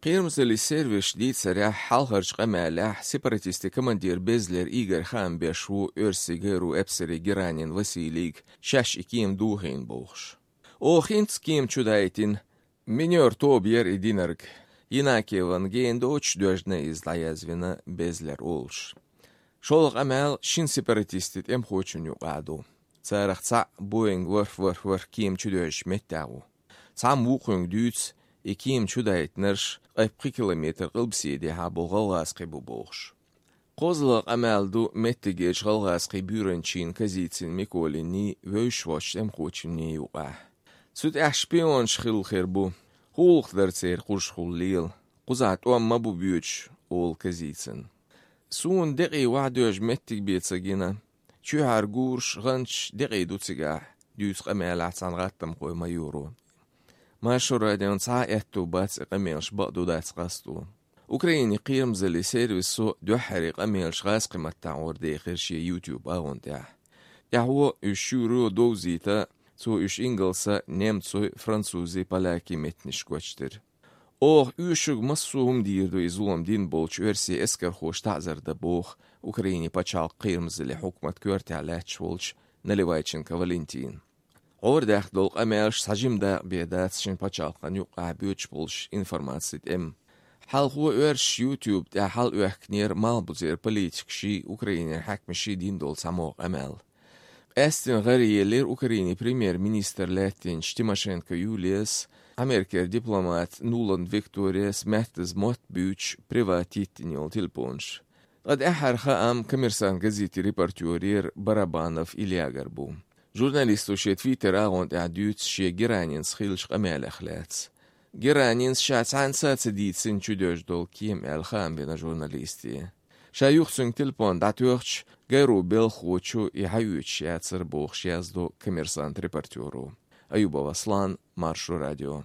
قيرمزلي سيرفيش ديت سريع حالهرج قمالح سيبراتيستي كماندير بيزلر إيجر خان بيشو إرسيجر وإبسري جيرانين وسيليك شاش إكيم دوهين بوخش. خينت كيم چودايتين منيور توبير إدينرك يناكي وانجين دوش دوجنا إزلايزونا بيزلر أولش. شولق أمال شين سيبراتيستيت خوچن يقعدو. تارخ تسع بوينغ ورف كيم چودوش متاو. تسع موقعن دوتس إكيم چودايت نرش قيب كيلومتر قلبسيدي هابو غلغاس قيبو بوخش. قوزلق أمال دو متجيش غلغاس قيبورنشين كزيتسين ميكوليني ويشوش خوچن يقع. سوت أحشبيون شخيل خيربو. قولق درتير قرشخول ليل. قزعت مبو بيوش أول كزيتسين. سون دقي وعدوش متك بيتساقينا شو هارقورش غنش دقي دوتساقاح ديوس قميل عطان غاتم قوي ما يورو ما شورا ديون ساعة اتو باتس قميلش بقدو داتس قاستو أوكرايني قيرمزلي سيرفيسو دو حري قميلش غاس قيمة تعور دي خيرشي يوتيوب اغون تاح يهو يشورو دوزيتا سو يش انجلسا نيمتسو فرانسوزي بالاكي متنش كوچتر يوشوغ مصوهم ديردو يزولم دين بولش ورسي اسكر خوش تعزر دبوخ أوكرايني بچال قيرمزلي حكومة كورتي علاتش ولش نليوايتشنكا فالنتين عور داخ دولق أمالش ساجيم دا بيدات شين بچال قان يوقع بيوش بولش انفرماتسيت حال هو ورش يوتيوب دا حال اوهكنير مال بوزير بوليتك شي أوكرايني حكم شي دين دول ساموغ أمال استن غري لير أوكرايني بريمير مينيستر لاتين شتيماشينكا يوليس Ameriker diplomat Nuland Victorias Matthias Motbüch privatittinjol tilponš. Qad aħarħa kamirsan gaziti reportjurir Barabanov Ilyagarbu. Žurnalistu šie Twitter agont għadjut šie Giranins xilx qamel aħlats. Giranins xaċ għan saċedit sinċu dol kiem għal-xam bina žurnalisti. Xa juxsun tilpon datuħċ għajru bilħuċu iħajut xie għatsar buħ xie għazdu kamirsan reportjuru. Ayuba Vaslan, Maršu radio.